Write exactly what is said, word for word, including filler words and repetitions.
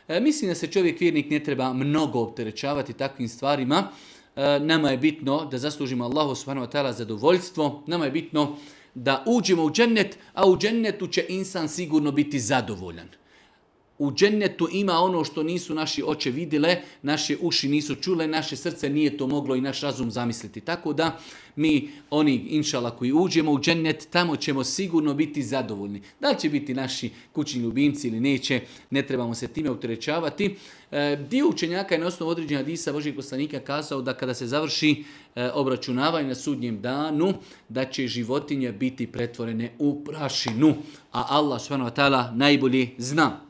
E, mislim da se čovjek vjernik ne treba mnogo opterećavati takvim stvarima. E, nama je bitno da zaslužimo Allahu subhanahu wa ta'ala zadovoljstvo, nama je bitno da uđemo u džennet, a u džennetu će insan sigurno biti zadovoljan. U džennetu ima ono što nisu naši oči vidjele, naše uši nisu čule, naše srce nije to moglo i naš razum zamisliti. Tako da mi, oni inšala koji uđemo u džennet, tamo ćemo sigurno biti zadovoljni. Da li će biti naši kućni ljubimci ili neće, ne trebamo se time opterećavati. E, dio učenjaka je na osnovu određenja hadisa Božijeg poslanika kazao da kada se završi e, obračunavanje na sudnjem danu, da će životinje biti pretvorene u prašinu. A Allah subhanahu wa ta'ala najbolje zna.